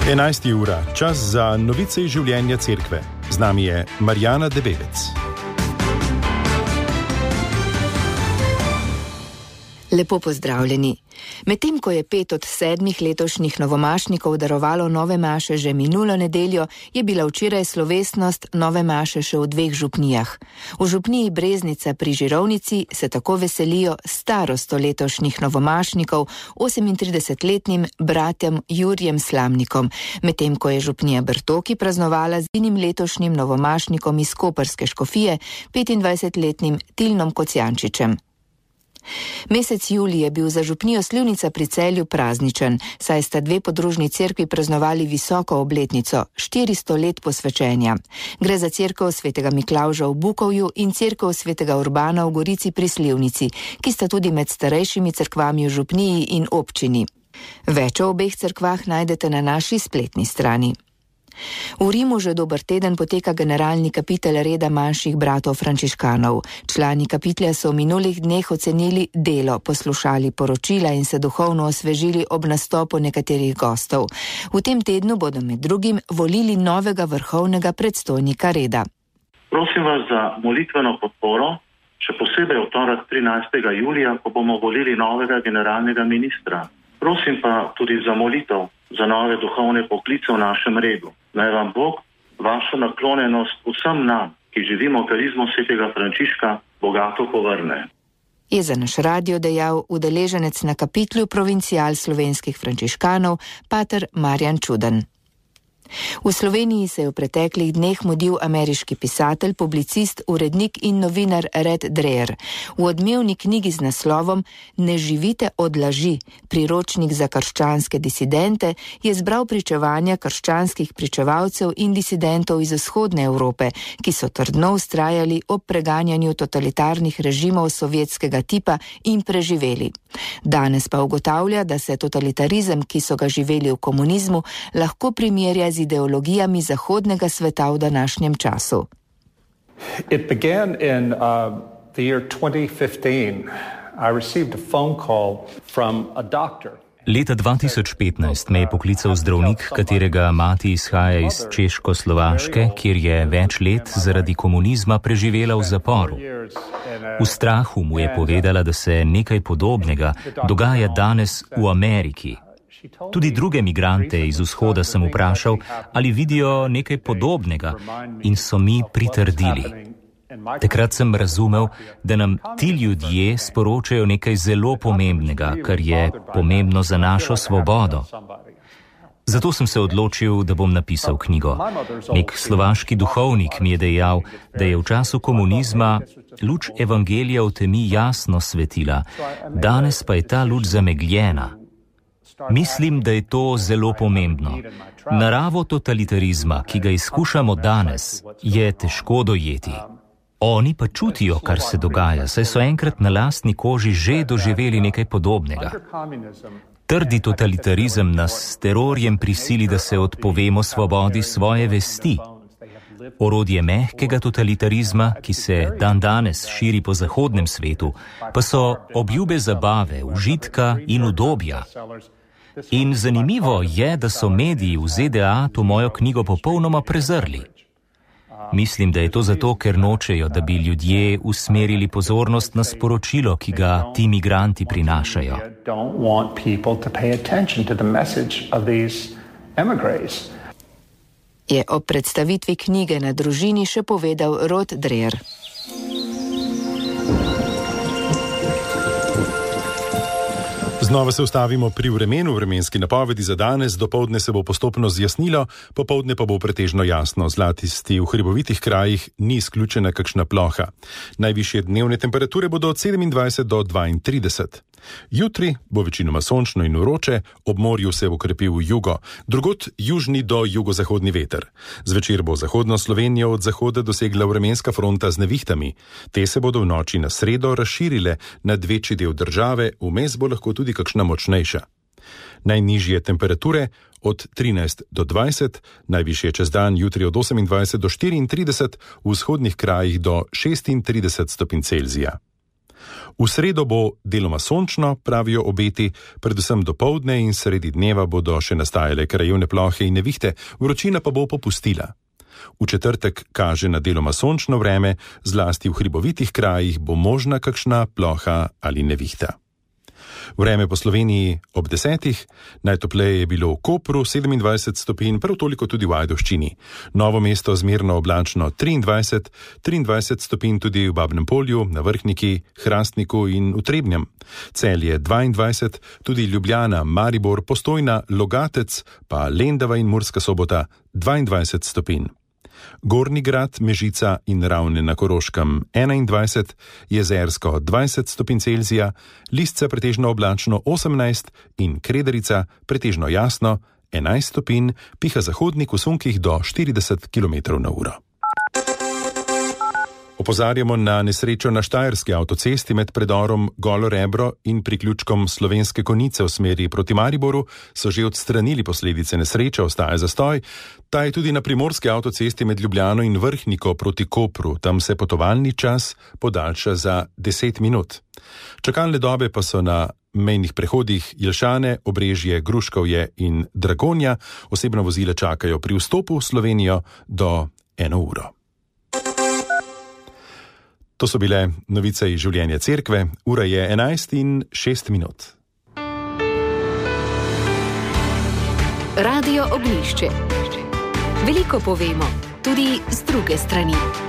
11. ura, čas za novice iz življenja cerkve. Z nami je Marjana Debevec. Lepo pozdravljeni. Medtem ko je 5 od 7 letošnjih novomašnikov darovalo nove maše že minulo nedeljo, je bila včeraj slovesnost nove maše še v 2 župnijah. V župniji Breznica pri Žirovnici se tako veselijo starosto letošnjih novomašnikov, 38-letnim bratjem Jurjem Slamnikom, medtem ko je župnija Brtoki praznovala z enim letošnjim novomašnikom iz koprske škofije, 25-letnim Tilnom Kocijančičem. Mesec julij je bil za župnijo Slivnica pri Celju prazničen, saj sta 2 podružni cerkvi praznovali visoko obletnico, 400 let posvečenja. Gre za cerkev svetega Miklavža v Bukovju in cerkev svetega Urbana v Gorici pri Slivnici, ki sta tudi med starejšimi cerkvami v župniji in občini. Več o obeh cerkvah najdete na naši spletni strani. V Rimu že dober teden poteka generalni kapitel reda manjših bratov frančiškanov. Člani kapitelja so v minulih dneh ocenili delo, poslušali poročila in se duhovno osvežili ob nastopu nekaterih gostov. V tem tednu bodo med drugim volili novega vrhovnega predstojnika reda. Prosim vas za molitveno podporo, še posebej v torek 13. julija, ko bomo volili novega generalnega ministra. Prosim pa tudi za molitev za nove duhovne poklice v našem redu. Naj vam Bog vašo naklonjenost vsem nam, ki živimo karizmo svetega Frančiška, bogato povrne. Je za naš radio dejal udeleženec na kapitlu provincial slovenskih frančiškanov, pater Marjan Čuden. V Sloveniji se je v preteklih dneh mudil ameriški pisatelj, publicist, urednik in novinar Red Dreher. V odmevni knjigi z naslovom Ne živite od laži, priročnik za krščanske disidente, je zbral pričevanja krščanskih pričevalcev in disidentov iz vzhodne Evrope, ki so trdno vztrajali ob preganjanju totalitarnih režimov sovjetskega tipa in preživeli. Danes pa ugotavlja, da se totalitarizem, ki so ga živeli v komunizmu, lahko primerja z ideologijami zahodnega sveta v današnjem času. It began in the year 2015. I received a phone call from a doctor. Leta 2015 me je poklical zdravnik, katerega mati izhaja iz Češko-Slovaške, kjer je več let zaradi komunizma preživela v zaporu. V strahu mu je povedala, da se nekaj podobnega dogaja danes v Ameriki. Tudi druge migrante iz vzhoda sem vprašal, ali vidijo nekaj podobnega, in so mi pritrdili. Takrat sem razumel, da nam ti ljudje sporočajo nekaj zelo pomembnega, kar je pomembno za našo svobodo. Zato sem se odločil, da bom napisal knjigo. Nek slovaški duhovnik mi je dejal, da je v času komunizma luč evangelija v temi jasno svetila, danes pa je ta luč zamegljena. Mislim, da je to zelo pomembno. Naravo totalitarizma, ki ga izkušamo danes, je težko dojeti. Oni pa čutijo, kar se dogaja, saj so enkrat na lastni koži že doživeli nekaj podobnega. Trdi totalitarizem nas s terorjem prisili, da se odpovemo svobodi svoje vesti. Orodje mehkega totalitarizma, ki se dandanes širi po zahodnem svetu, pa so obljube zabave, užitka in udobja. In zanimivo je, da so mediji v ZDA to mojo knjigo popolnoma prezrli. Mislim, da je to zato, ker nočejo, da bi ljudje usmerili pozornost na sporočilo, ki ga ti migranti prinašajo. Je ob predstavitvi knjige na družini še povedal Rod Dreher. Znova se ustavimo pri vremenu, vremenski napovedi za danes, dopoldne se bo postopno zjasnilo, popoldne pa bo pretežno jasno, zlasti v hribovitih krajih ni izključena kakšna ploha. Najvišje dnevne temperature bodo od 27 do 32. Jutri bo večinoma sončno in vroče, ob morju se bo krepil jugo, drugod južni do jugozahodni veter. Zvečer bo zahodno Slovenijo od zahoda dosegla vremenska fronta z nevihtami. Te se bodo v noči na sredo razširile nad večji del države, vmes bo lahko tudi kakšna močnejša. Najnižje temperature od 13 do 20, najvišje čez dan jutri od 28 do 34, v vzhodnih krajih do 36 stopinj Celzija. V sredo bo deloma sončno, pravijo obeti, predvsem dopoldne in sredi dneva bodo še nastajale krajevne plohe in nevihte, vročina pa bo popustila. V četrtek kaže na deloma sončno vreme, zlasti v hribovitih krajih bo možna kakšna ploha ali nevihta. Vreme po Sloveniji ob 10. Najtopleje je bilo v Kopru 27 stopinj, prav toliko tudi v Ajdovščini. Novo mesto zmerno oblačno 23 stopinj tudi v Babnem Polju, na Vrhniki, Hrastniku in v Trebnjem. Celje 22, tudi Ljubljana, Maribor, Postojna, Logatec, pa Lendava in Murska Sobota 22 stopinj. Gornji Grad, Mežica in Ravne na Koroškem 21, Jezersko 20 stopinj Celzija, Listce pretežno oblačno 18 in Krederica pretežno jasno 11 stopinj, piha zahodnik v sunkih do 40 km/h. Opozarjamo na nesrečo na Štajerski avtocesti med predorom Golo Rebro in priključkom Slovenske Konjice v smeri proti Mariboru so že odstranili posledice nesreče, ostaja zastoj. Ta je tudi na primorski avtocesti med Ljubljano in Vrhniko proti Kopru, tam se potovalni čas podaljša za 10 minut. Čakalne dobe pa so na mejnih prehodih Jelšane, Obrežje, Gruškovje in Dragonja. Osebna vozila čakajo pri vstopu v Slovenijo do 1 uro. To so bile novice iz življenja cerkve, ura je 11:06. Radio Ognjišče. Veliko povemo, tudi z druge strani.